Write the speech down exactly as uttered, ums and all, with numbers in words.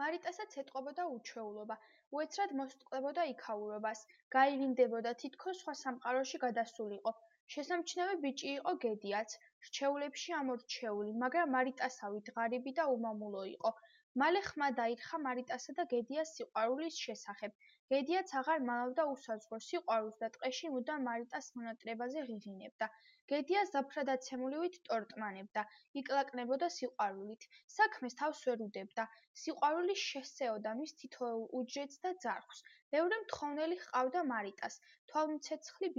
მარიტასაც ეტყობოდა უჩვეულობა, უეცრად მოსწყდებოდა იქაურობას, გაირინდებოდა თითქოს სხვა სამყაროში გადასულიყო. შესამჩნევი ბიჭი იყო გედიაც, რჩეულებში ამორჩეული, მაგრამ მარიტასავით ღარიბი და უმამულო იყო. მალე ხმა დაირხა მარიტასა და გედიას სიყვარულის შესახებ. გედიაც აღარ მალავდა უსაზღრო სიყვარულს და ტყეში მუდამ მარიტას მონატრებაზე ღიღინებდა. გედია ზაფხრადაცემულივით ტორტმანებდა, იკლაკნებოდა სიყვარულით. საქმეს თავს ვერ უდებდა. სიყვარული შესწეოდა მის თითოეულ უჯრედს და ძარღვს. ბევრი მთხოვნელი ჰყავდა მარიტას, თვალმცეცხლი